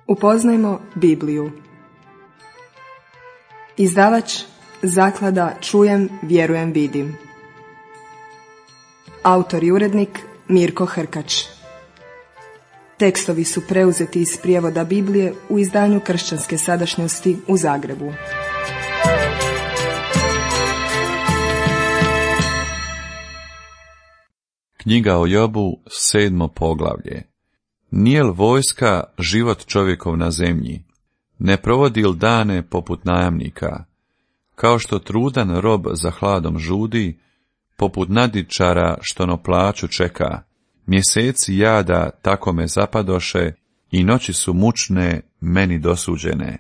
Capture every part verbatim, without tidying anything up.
Upoznajmo Bibliju. Izdavač Zaklada Čujem, vjerujem, vidim. Autor i urednik Mirko Hrkač. Tekstovi su preuzeti iz prijevoda Biblije u izdanju Kršćanske sadašnjosti u Zagrebu. Knjiga o Jobu, sedmo poglavlje. Nije li vojska život čovjekov na zemlji? Ne provodi li dane poput najamnika? Kao što trudan rob za hladom žudi, poput nadičara što na plaću čeka. Mjeseci jada tako me zapadoše i noći su mučne meni dosuđene.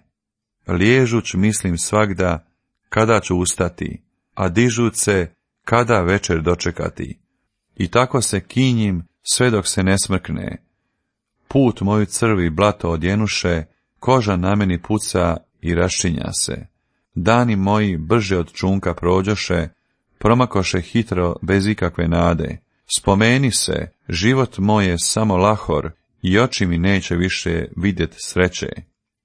Liježuć mislim svagda kada ću ustati, a dižuć se kada večer dočekati. I tako se kinjim sve dok se ne smrkne. Put moju crvi blato odjenuše, koža na meni puca i raščinja se. Dani moji brže od čunka prođoše, promakoše hitro bez ikakve nade. Spomeni se, život moj je samo lahor i oči mi neće više vidjet sreće.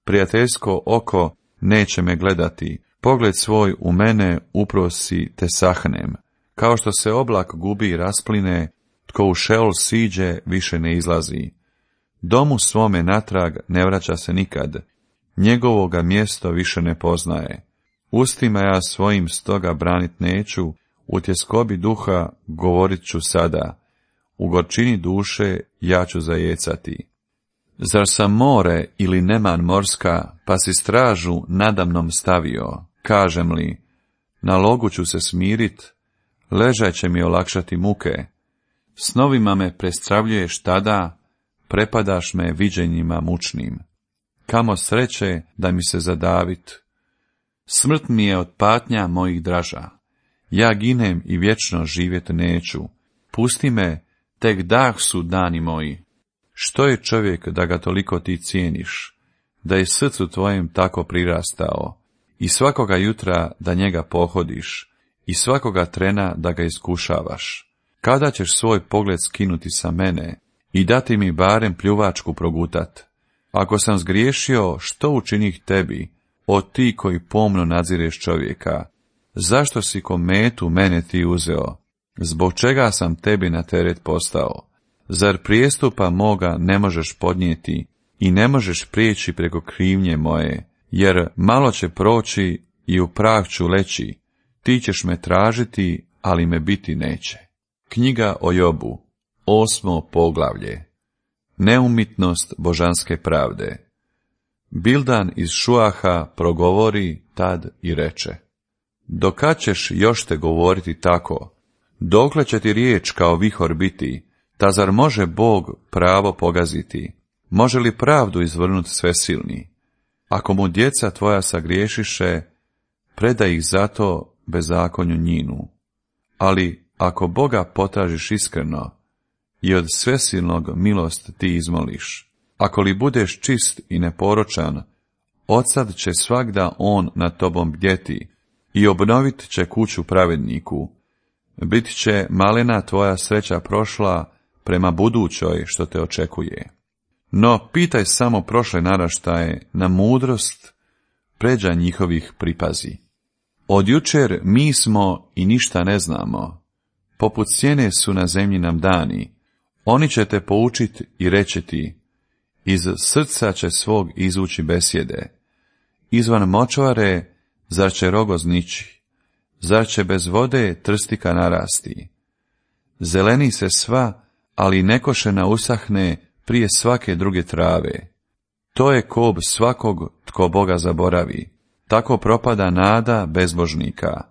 Prijateljsko oko neće me gledati, pogled svoj u mene uprosi te sahnem. Kao što se oblak gubi i raspline, tko u Šeol siđe više ne izlazi. Domu svome natrag ne vraća se nikad, njegovoga mjesto više ne poznaje. Ustima ja svojim stoga branit neću, u tjeskobi duha govorit ću sada, u gorčini duše ja ću zajecati. Zar sam more ili neman morska, pa si stražu nadamnom stavio, kažem li, na logu ću se smirit, ležaj će mi olakšati muke. Snovima me prestravljuješ tada, prepadaš me viđenjima mučnim. Kamo sreće da mi se zadavit. Smrt mi je od patnja mojih draža. Ja ginem i vječno živjet neću. Pusti me, tek dah su dani moji. Što je čovjek da ga toliko ti cijeniš, da je srcu tvojem tako prirastao, i svakoga jutra da njega pohodiš, i svakoga trena da ga iskušavaš. Kada ćeš svoj pogled skinuti sa mene i dati mi barem pljuvačku progutat? Ako sam zgriješio, što učinih tebi, o ti koji pomno nadzireš čovjeka? Zašto si ko metu mene ti uzeo? Zbog čega sam tebi na teret postao? Zar prijestupa moga ne možeš podnijeti i ne možeš prijeći preko krivnje moje? Jer malo će proći i u prah ću leći. Ti ćeš me tražiti, ali me biti neće. Knjiga o Jobu, osmo poglavlje. Neumitnost božanske pravde. Bildan iz Šuaha progovori tad i reče: dokad ćeš još te govoriti tako? Dokle će ti riječ kao vihor biti? Ta zar može Bog pravo pogaziti? Može li pravdu izvrnuti svesilni? Ako mu djeca tvoja sagriješiše, predaj ih zato bezakonju njinu. Ali ako Boga potražiš iskreno i od svesilnog milost ti izmoliš, ako li budeš čist i neporočan, odsad će svagda on nad tobom bdjeti i obnovit će kuću pravedniku. Bit će malena tvoja sreća prošla prema budućoj što te očekuje. No pitaj samo prošle naraštaje na mudrost, pređa njihovih pripazi. Od jučer mi smo i ništa ne znamo, poput sjene su na zemlji nam dani. Oni će te poučit i reći ti, iz srca će svog izvući besjede. Izvan močvare, zar će rogoz nići? Zar će bez vode trstika narasti? Zeleni se sva, ali nekošena usahne prije svake druge trave. To je kob svakog tko Boga zaboravi. Tako propada nada bezbožnika.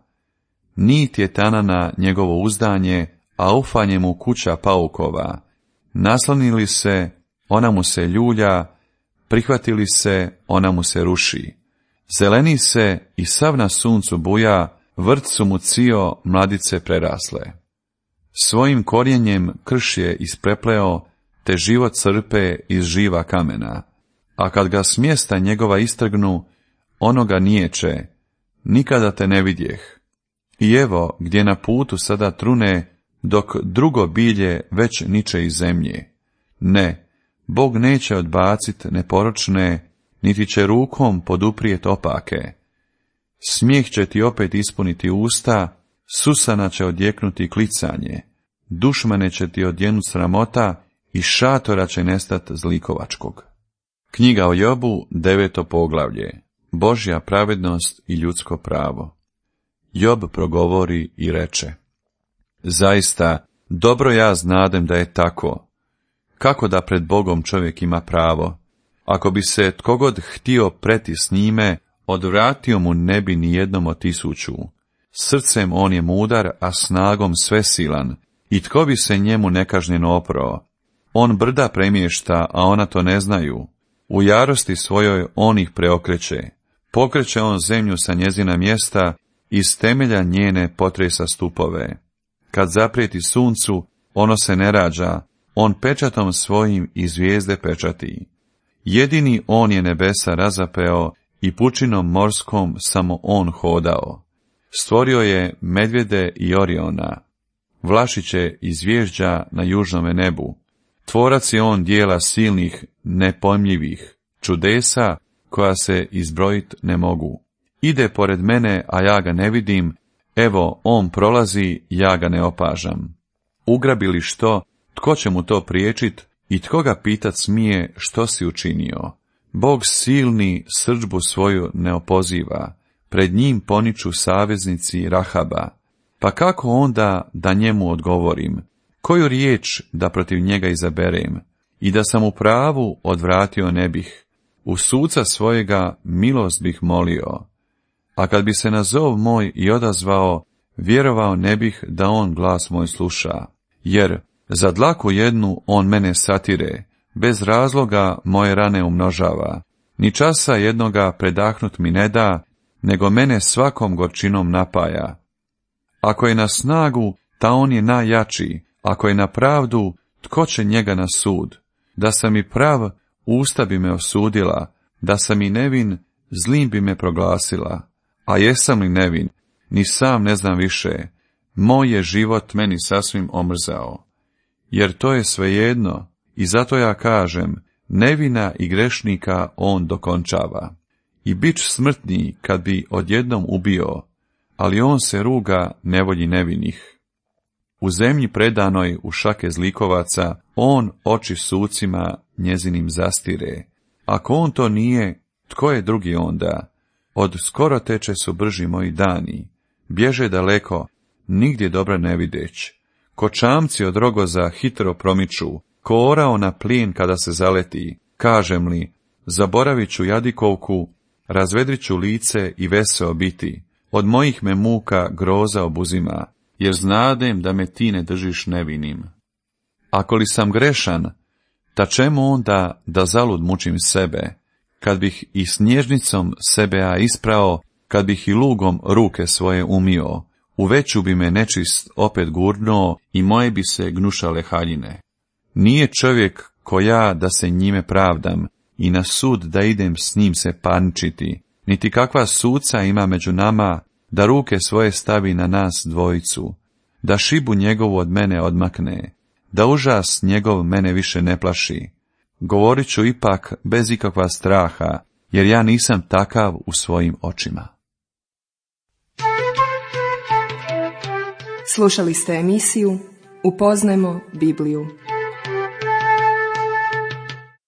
Nit je tanana njegovo uzdanje, a ufanje mu kuća paukova. Naslonili se, ona mu se ljulja, prihvatili se, ona mu se ruši. Zeleni se i sav na suncu buja, vrt su mu cio mladice prerasle. Svojim korijenjem krš je isprepleo, te život crpe iz živa kamena. A kad ga s mjesta njegova istrgnu, ono ga niječe, nikada te ne vidjeh. I evo, gdje na putu sada trune, dok drugo bilje već niče iz zemlje. Ne, Bog neće odbacit neporočne, niti će rukom poduprijet opake. Smijeh će ti opet ispuniti usta, susana će odjeknuti klicanje, dušmane će ti odjenut sramota i šatora će nestat zlikovačkog. Knjiga o Jobu, deveto poglavlje. Božja pravednost i ljudsko pravo. Job progovori i reče: zaista, dobro ja znadem da je tako. Kako da pred Bogom čovjek ima pravo? Ako bi se tkogod htio preti s njime, odvratio mu ne bi ni jednom od tisuću. Srcem on je mudar, a snagom svesilan, i tko bi se njemu nekažnjeno oprao? On brda premješta, a ona to ne znaju. U jarosti svojoj on ih preokreće. Pokreće on zemlju sa njezina mjesta, iz temelja njene potresa stupove. Kad zaprijeti suncu, ono se ne rađa, on pečatom svojim i zvijezde pečati. Jedini on je nebesa razapeo i pučinom morskom samo on hodao. Stvorio je medvjede i Oriona, vlašiće i zvježđa na južnome nebu. Tvorac je on dijela silnih, nepojmljivih, čudesa koja se izbrojit ne mogu. Ide pored mene, a ja ga ne vidim, evo on prolazi, ja ga ne opažam. Ugrabi li što, tko će mu to priječit i tko ga pitat smije što si učinio? Bog silni srdžbu svoju ne opoziva, pred njim poniču saveznici Rahaba. Pa kako onda da njemu odgovorim? Koju riječ da protiv njega izaberem? I da sam u pravu odvratio ne bih, u suca svojega milost bih molio. A kad bi se na zov moj i odazvao, vjerovao ne bih da on glas moj sluša. Jer za dlaku jednu on mene satire, bez razloga moje rane umnožava. Ni časa jednoga predahnut mi ne da, nego mene svakom gorčinom napaja. Ako je na snagu, ta on je najjači, ako je na pravdu, tko će njega na sud? Da sam i prav, usta bi me osudila, da sam i nevin, zlim bi me proglasila. A jesam li nevin, ni sam ne znam više, moj je život meni sasvim omrzao. Jer to je svejedno, i zato ja kažem, nevina i grešnika on dokončava. I bič smrtni kad bi odjednom ubio, ali on se ruga nevolji nevinih. U zemlji predanoj u šake zlikovaca, on oči sucima njezinim zastire. Ako on to nije, tko je drugi onda? Od skoro teče su brži moji dani, bježe daleko, nigdje dobra ne videć. Ko čamci od rogoza hitro promiču, ko orao na plin kada se zaleti, kažem li, zaboravit ću jadikovku, razvedrit ću lice i veseo biti, od mojih me muka groza obuzima, jer znadem da me ti ne držiš nevinim. Ako li sam grešan, ta čemu onda da zalud mučim sebe, kad bih i snježnicom sebe ja isprao, kad bih i lugom ruke svoje umio, u veću bi me nečist opet gurnuo i moje bi se gnušale haljine. Nije čovjek ko ja da se njime pravdam i na sud da idem s njim se parničiti, niti kakva suca ima među nama da ruke svoje stavi na nas dvojicu, da šibu njegovu od mene odmakne, da užas njegov mene više ne plaši. Govorit ću ipak bez ikakva straha, jer ja nisam takav u svojim očima. Slušali ste emisiju Upoznajmo Bibliju.